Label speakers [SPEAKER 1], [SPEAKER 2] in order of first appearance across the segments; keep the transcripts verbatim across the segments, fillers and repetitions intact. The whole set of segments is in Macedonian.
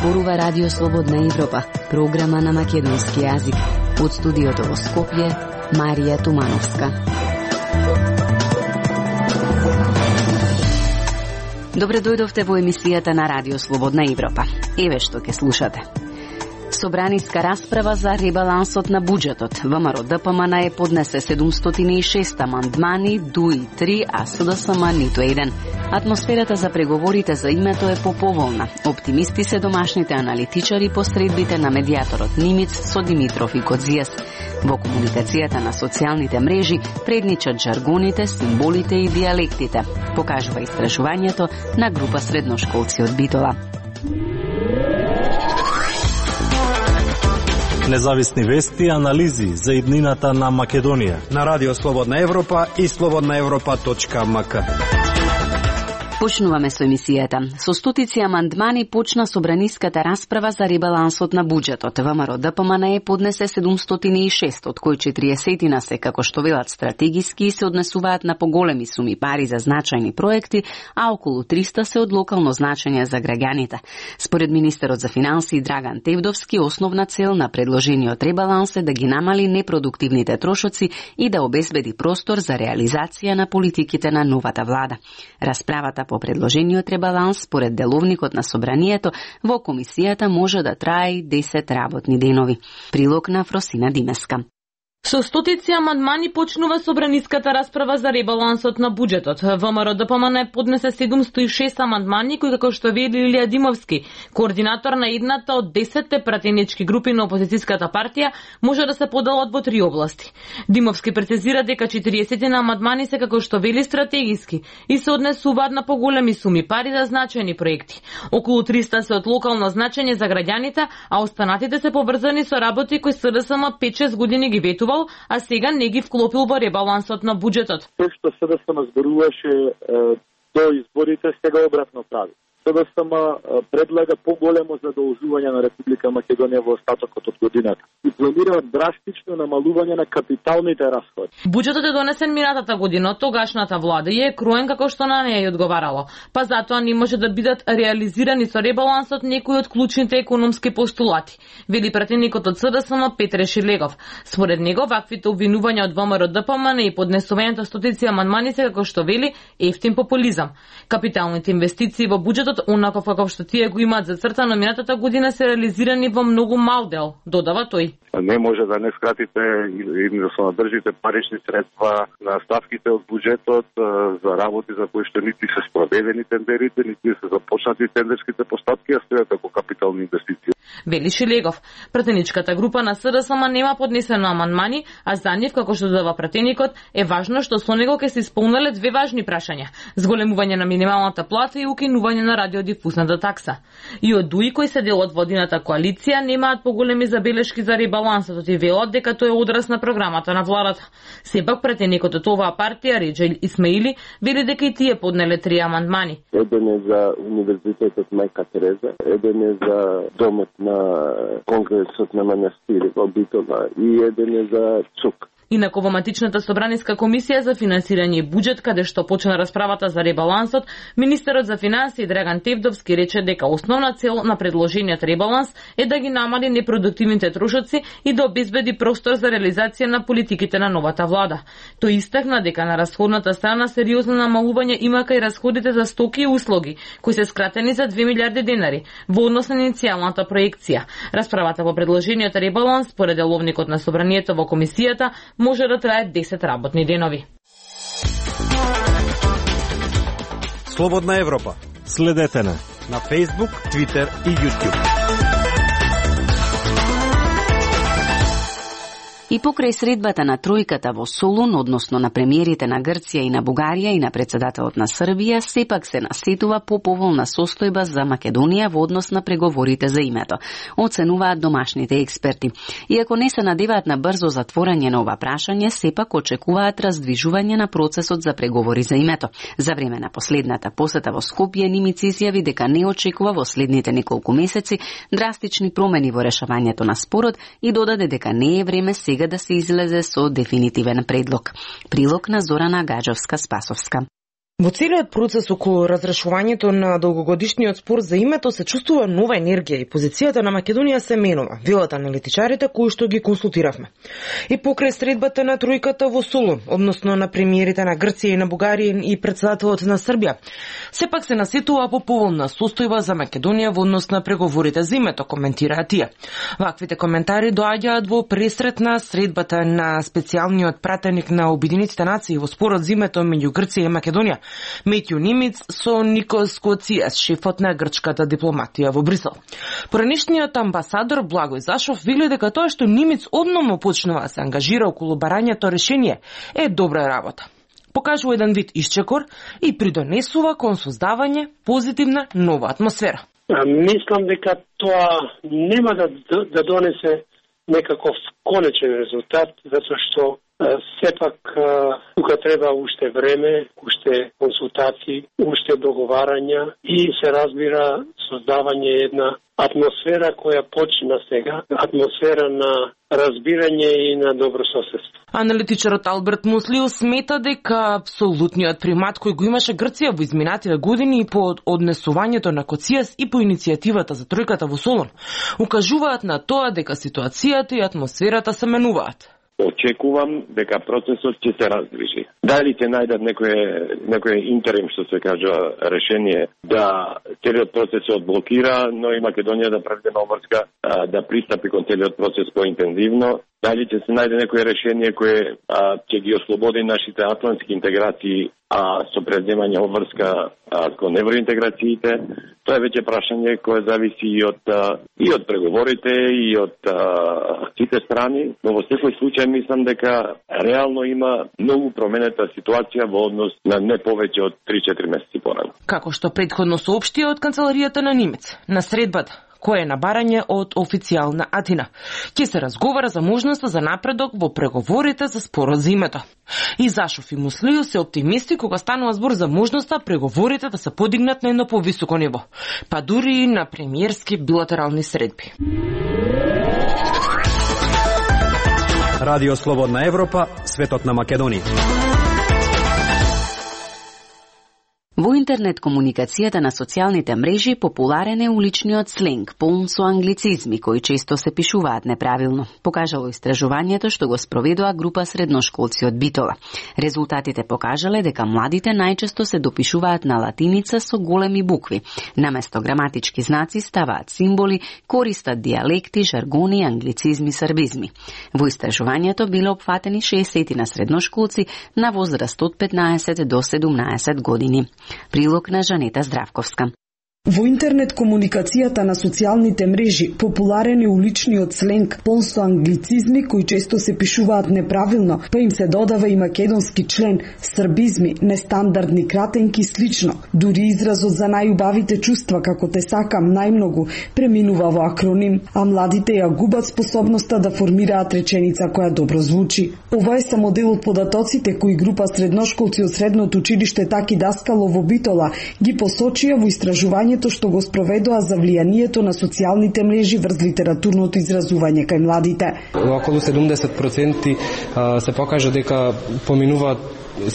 [SPEAKER 1] зборува Радио Слободна Европа, програма на македонски јазик. Од студиото во Скопје, Марија Тумановска. Добре дојдовте во емисијата на Радио Слободна Европа. Еве што ќе слушате. Собраниска расправа за ребалансот на буџетот. ВМРО Д П М Н е поднесе седумстотини и шест амандмани, Д У И три, а С Д С М ниту еден. Атмосферата за преговорите за името е поповолна. Оптимисти се домашните аналитичари по средбите на медијаторот Нимиц со Димитров и Кодзијас. Во комуникацијата на социјалните мрежи предничат жаргоните, символите и диалектите, покажува истражувањето на група средношколци од Битола.
[SPEAKER 2] Независни вести и анализи за иднината на Македонија
[SPEAKER 3] на Радио Слободна Европа и слободна европа точка м к.
[SPEAKER 1] Почнуваме со емисијата. Со стотици амандмани почна собраниската расправа за ребалансот на буџетот. ВМРО Д П М Н е поднесе седумстотини и шест, од кои четириесет се, како што велат, стратегиски и се однесуваат на поголеми суми пари за значајни проекти, а околу триста се од локално значење за граѓаните. Според министерот за финансии Драган Тевдовски, основна цел на предложениот ребаланс е да ги намали непродуктивните трошоци и да обезбеди простор за реализација на политиките на новата влада. Расправата по предложениот ребаланс, според деловникот на собранието, во комисијата може да трае и десет работни денови. Прилог на Фросина Димеска.
[SPEAKER 4] Со стотици амандмани почнува собраниската расправа за ребалансот на буџетот. ВМРО Д П М Н поднесе седумстотини и шест амандмани кои, како што вели Илија Димовски, координатор на едната од десетте пратенички групи на опозицијската партија, може да се поделат во три области. Димовски прецизира дека четириесет на амандмани се, како што вели, стратегиски и се однесуваат на поголеми суми пари за значајни проекти. Околу триста се од локално значење за граѓаните, а останатите се поврзани со работи кои С Д С М пет-шест години ги ветува, а сега не ги вклопил во ребалансот на буџетот.
[SPEAKER 5] Тоа што С Д С М зборуваше до изборите, сега обратно прави. С Д С М предлага поголемо задолжување на Република Македонија во остатокот од годината и планира драстично намалување на капиталните расходи.
[SPEAKER 4] Буџетот е донесен минатата година од тогашната влада и е кроен како што на неја ја одговарало. Па затоа не може да бидат реализирани со ребалансот некои од клучните економски постулати, вели пратеникот од С Д С М Петре Шилегов. Според него, ваквите обвинувања од ВМРО Д П М Н и поднесувањето стотици амандмани се, како што вели, ефтин популизам. Капиталните инвестиции во буџетот, онаков како што тие го имаат зацртано минатата година, се реализирани во многу мал дел, додава тој.
[SPEAKER 6] Не може да не скратите или да се надржите парични средства на ставките од буџетот за работи за кои што нити се спроведени тендерите, нити се започнати тендерските постапки, а стојат како капитални инвестиции.
[SPEAKER 4] Вели Шилегов. Пратеничката група на С Д С М нема поднесено амандмани, а за нив, како што додава пратеникот, е важно што со него ќе се исполнеле две важни прашања: зголемување на минималната плата и укинување на радиодифузната такса. И од Д У И, кои се дел од водината коалиција, немаат поголеми забелешки за ребалансот и велат дека тој е одраз на програмата на владата. Сепак пратеникот од оваа партија, Реџај Исмаили, вели дека и тие поднеле три амандмани.
[SPEAKER 7] Еден е за Универзитетот Мајка Тереза, еден е за домот на Конгресот на манастири во Битола и еден е за ЦУК.
[SPEAKER 4] Инаку во матичната собраниска комисија за финансирање и буџет, каде што почна расправата за ребалансот, министерот за финансии Драган Тевдовски рече дека основна цел на предложениот ребаланс е да ги намали непродуктивните трошоци и да обезбеди простор за реализација на политиките на новата влада. Тој истакна дека на расходната страна сериозно намалување има кај расходите за стоки и услуги, кои се скратени за две милиарди денари во однос на иницијалната проекција. Расправата по предложениот ребаланс, според деловникот на собранието во комисијата, може да трае десет работни денови.
[SPEAKER 3] Слободна Европа.
[SPEAKER 2] Следете на
[SPEAKER 3] на Facebook, Twitter и YouTube.
[SPEAKER 1] И покрај средбата на тројката во Солун, односно на премиерите на Грција и на Бугарија и на председателот на Србија, сепак се насетува поповолна состојба за Македонија во однос на преговорите за името, оценуваат домашните експерти. Иако не се надеваат на брзо затворање на ова прашање, сепак очекуваат раздвижување на процесот за преговори за името. За време на последната посета во Скопје, Нимиц изјави дека не очекува во следните неколку месеци драстични промени во решавањето на спорот и додаде дека не е време сега да се излезе со дефинитивен предлог. Прилог на Зорана Гаджовска-Спасовска.
[SPEAKER 8] Во целиот процес околу разрешувањето на долгогодишниот спор за името се чувствува нова енергија и позицијата на Македонија се менува, велат аналитичарите кои што ги консултиравме. И покрај средбата на тројката во Солун, односно на премиерите на Грција и на Бугарија и председателот на Србија, сепак се насетува по поволна состојба за Македонија во однос на преговорите за името, коментираа тие. Ваквите коментари доаѓаат во пресрет на средбата на специјалниот пратеник на Обединетите нации во спорот за името меѓу Грција и Македонија, Метју Нимиц со Никос Коцијас, шефот на грчката дипломатија во Брисел. Поранешниот амбасадор Благој Зашов вели дека тоа што Нимиц одномо почнува да се ангажира околу барањето решение е добра работа. Покажува еден вид исчекор и придонесува кон создавање позитивна нова атмосфера.
[SPEAKER 9] Мислам дека тоа нема да, да донесе некаков конечен резултат, затоа што сепак тука треба уште време, уште консултации, уште договарања и се разбира создавање една атмосфера која почина сега, атмосфера на разбирање и на добро соседство.
[SPEAKER 8] Аналитичарот Алберт Муслио смета дека апсолутниот примат кој го имаше Грција во изминатите години и по однесувањето на Коцијас и по иницијативата за тројката во Солун укажуваат на тоа дека ситуацијата и атмосферата се менуваат.
[SPEAKER 7] Очекувам дека процесот ќе се раздвижи. Дали ќе најдат некое, некое интерим, што се кажа, решение да целиот процес се одблокира, но и Македонија да преведе на обврска, да пристапи кон целиот процес поинтензивно. Дали ќе се најде некое решение кое а, ќе ги ослободи нашите атлантски интеграции, а со преземање обврска а, кон евроинтеграциите, тоа е веќе прашање кое зависи и од, а, и од преговорите, и од а, сите страни, но во секој случај мислам дека реално има многу променета ситуација во однос на не повеќе од три-четири месеци порано.
[SPEAKER 8] Како што претходно соопшти од канцеларијата на Нимец, на средбата кој е на барање од официјална Атина. Ќе се разговара за можноста за напредок во преговорите за спорот за името. И Зашов и Муслио се оптимисти кога станува збор за можноста преговорите да се подигнат на едно повисоко ниво, па дури и на премиерски билатерални средби.
[SPEAKER 3] Радио Слободна Европа, светот на Македонија.
[SPEAKER 1] Во интернет комуникацијата на социјалните мрежи популарен е уличниот сленг, полн со англицизми кои често се пишуваат неправилно. Покажало истражувањето што го спроведува група средношколци од Битола. Резултатите покажале дека младите најчесто се допишуваат на латиница со големи букви. Наместо граматички знаци ставаат символи, користат дијалекти, жаргони, англицизми, србизми. Во истражувањето биле опфатени шеесет на средношколци на возраст од петнаесет до седумнаесет години. Прилог на Жанета Здравковска.
[SPEAKER 10] Во интернет комуникацијата на социјалните мрежи популарен е уличниот сленг, полн со англицизми кои често се пишуваат неправилно, па им се додава и македонски член, србизми, нестандардни кратенки и слично. Дури изразот за најубавите чувства како те сакам најмногу преминува во акроним, а младите ја губат способноста да формираат реченица која добро звучи. Ова е само дел од податоците кои група средношколци од средното училиште Таки Даскало во Битола ги посочија во истражување што го спроведоа за влијанието на социјалните мрежи врз литературното изразување кај младите.
[SPEAKER 11] Околу седумдесет проценти се покажа дека поминуваат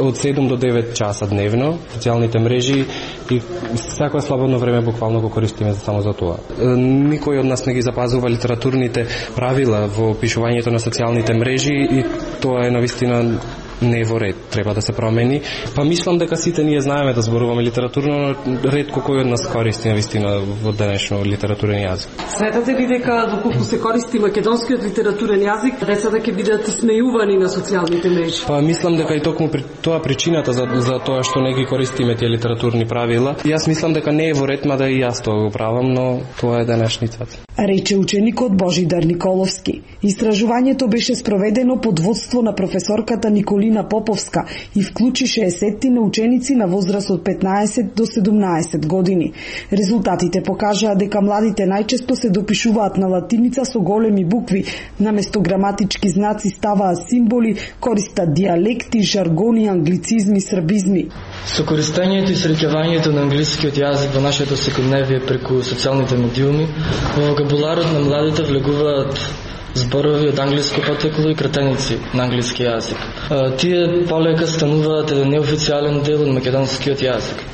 [SPEAKER 11] од седум до девет часа дневно социјалните мрежи и секој слободно време буквално го користиме само за тоа. Никој од нас не ги запазува литературните правила во пишувањето на социјалните мрежи и тоа е навистина не во ред, треба да се промени. Па мислам дека сите ние знаеме да зборуваме литературно, но ретко кој од нас користи навистина во денешно литературен јазик.
[SPEAKER 12] Сметате ли дека доколку се користи македонскиот литературен јазик, децата ќе бидат смејувани на социјалните мрежи?
[SPEAKER 11] Па мислам дека и токму при тоа причината за, за тоа што не ги користиме тие литературни правила. Јас мислам дека не е во ред, мада и јас тоа го правам, но тоа е денешницата.
[SPEAKER 10] Рече ученикот Божидар Николовски. Истражувањето беше спроведено под водство на професорката Николина Поповска и вклучи шеесет на ученици на возраст од петнаесет до седумнаесет години. Резултатите покажаа дека младите најчесто се допишуваат на латиница со големи букви, наместо граматички знаци ставаат символи, користат дијалекти, жаргони, англицизми, србизми.
[SPEAKER 13] Со користењето и среќавањето на англискиот јазик во нашето секојдневие преку социјалните медиуми, во вокабуларот на младите влегуваат зборови од англиско потекло и кратеници на англиски јазик. Тие полека стануваат еден неофицијален дел од македонскиот јазик.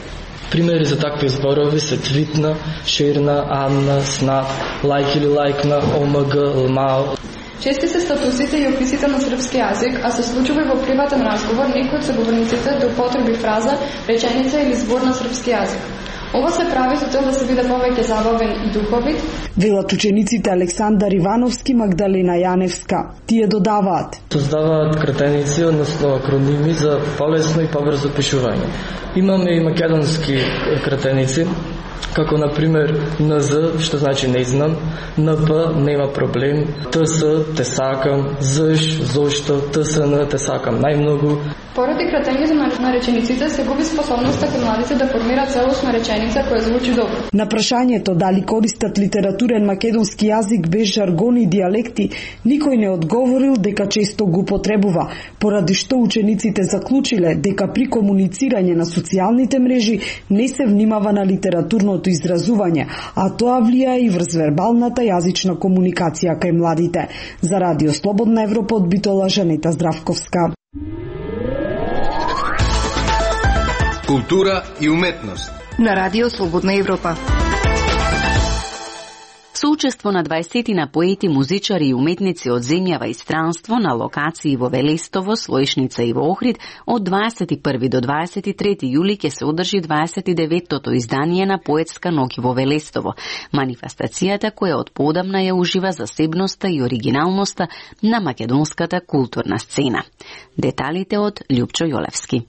[SPEAKER 13] Примери за такви зборови се твитна, ширна, амна, снап, лайк или лайкна, омг, лмао.
[SPEAKER 14] Чести се статусите и описите на српски јазик, а се случува и во приватен разговор некој од соговорниците да употреби фраза, реченица или збор на српски јазик. Ова се прави со цел да се биде повеќе забавен и духовит.
[SPEAKER 10] Велат учениците Александар Ивановски, Магдалена Јаневска. Тие додаваат:
[SPEAKER 13] создаваат кратеници, односно акроними за полесно и побрзо пишување. Имаме и македонски кратеници, како на пример ен зет, што значи не знам, ен пе нема проблем, те ес те сакам, зеш зошто, те ес ен те сакам најмногу.
[SPEAKER 14] Поради кратењето на речениците се губи способноста кај младите да формираат целосна реченица која звучи добро.
[SPEAKER 10] На прашањето дали користат литературен македонски јазик без жаргон и дијалекти, никој не одговорил дека често го потребува, поради што учениците заклучиле дека при комуницирање на социјалните мрежи не се внимава на литературното изразување, а тоа влија и врз вербалната јазична комуникација кај младите. За Радио Слободна Европа од Битола, Жанета Здравковска.
[SPEAKER 15] Култура и уметност
[SPEAKER 16] на Радио Слободна Европа.
[SPEAKER 1] Соучество на дваесетина поети, музичари и уметници од земјава и странство на локации во Велестово, Слојшница и во Охрид од дваесет и први до дваесет и трети јули ќе се одржи дваесет и деветото издание на Поетска ноќ во Велестово. Манифестацијата која од поодамна ја ужива засебноста и оригиналноста на македонската културна сцена. Деталите од Љупчо Јолевски.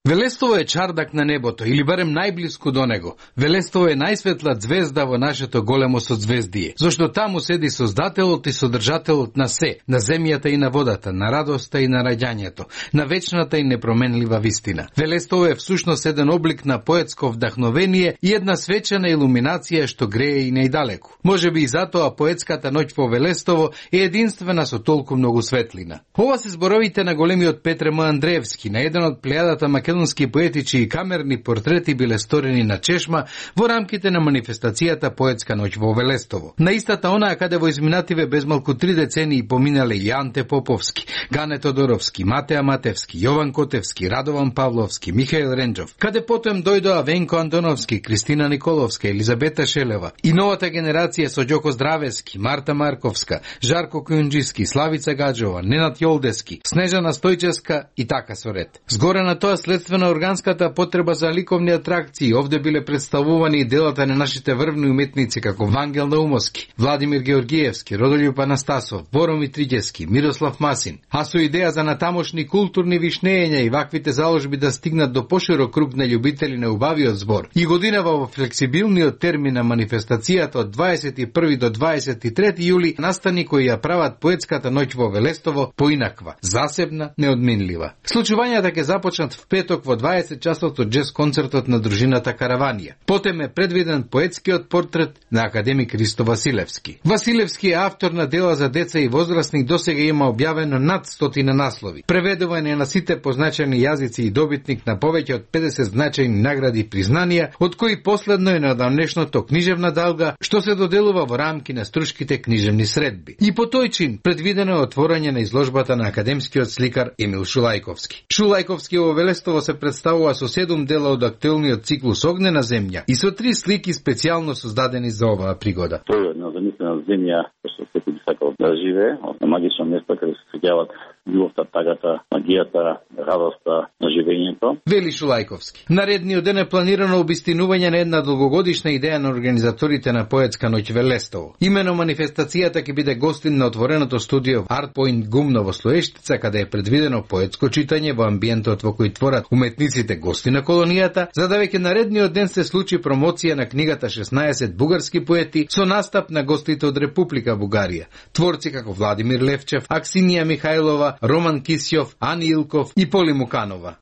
[SPEAKER 17] Велестово е чардак на небото, или барем најблиску до него. Велестово е најсветла звезда во нашето големо созвездие, зашто таму седи создателот и содржателот на се, на земјата и на водата, на радоста и на раѓањето, на вечната и непроменлива вистина. Велестово е всушност еден облик на поетско вдахновение и една свечена илуминација што грее и најдалеку. Може би и затоа Поетската ноќ во Велестово е единствена со толку многу светлина. Ова се зборовите на големиот Петре М. Андреевски, на еден од плејадата македонски поетичи и камерни портрети биле сторени на чешма во рамките на манифестацијата Поетска ноќ во Велестово. На истата онаа каде во изминативе безмалку три децении поминале и Анте Поповски, Гане Тодоровски, Матеа Матевски, Јован Котевски, Радован Павловски, Михаил Ренџов, каде потом дојдоа Венко Антоновски, Кристина Николовска, Елизабета Шелева и новата генерација со Ѓоко Здравески, Марта Марковска, Жарко Кујунџиски, Славица Гаджова, Ненад Јолдески, Снежана Стојчевска и така со ред. Згоре на тоа след на органската потреба за ликовни атракции, овде биле представувани и делата на нашите врвни уметници како Вангел Наумовски, Владимир Георгиевски, Родолјуб Анастасов, Боромир Триѓевски, Мирослав Масин, а со идеја за натамошни културни вишнења и ваквите заложби да стигнат до поширок круг на љубители на убавиот збор. И годинава во флексибилниот термин на манифестацијата од дваесет и први до дваесет и трети јули настани кои ја прават Поетската ноќ во Велестово поинаква, засебна, неодминлива. Случувањата ќе започнат в петок во дваесет часот од джез концертот на дружината Караванија. Потем е предвиден поетскиот портрет на академик Ристо Василевски. Василевски е автор на дела за деца и возрастни, досега има објавено над стотина наслови. Преведуван е на сите позначени јазици и добитник на повеќе од педесет значајни награди и признанија, од кои последно е неодамнешното книжевна далга, што се доделува во рамки на струшките книжевни средби. И по тој чин предвидено е отворање на изложбата на академскиот сликар Емил Шулајковски. Шулајковски во Велестово се представува со седум дела од актуелниот циклус Огнена земја и со три слики специјално создадени за оваа пригода.
[SPEAKER 18] Тоа е една замислена земја што секој би сакал да живее, на магично место каде се среќаваат љубовта, тагата, магијата, радоста на живењето.
[SPEAKER 17] Вели Шулајковски. Наредниот ден е планирано обистинување на една долгогодишна идеја на организаторите на Поетска ноќ Велестово. Имено манифестацијата ќе биде гостин на отвореното студио Art Point Гумно во Слоештица, каде е предвидено поетско читање во амбиентот во кој творат уметниците гости на колонијата, за да веќе наредниот ден се случи промоција на книгата шеснаесет бугарски поети со настап на гостите од Република Бугарија. Творци како Владимир Левчев, Аксинија Михајлова, Роман Кисјов, Ани Илков и Поли Муканова.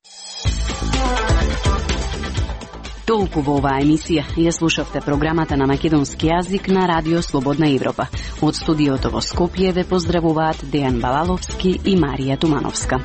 [SPEAKER 1] Толку во оваа емисија. Ја слушавте програмата на македонски јазик на Радио Слободна Европа. Од студиото во Скопје ве поздравуваат Дејан Балаловски и Марија Тумановска.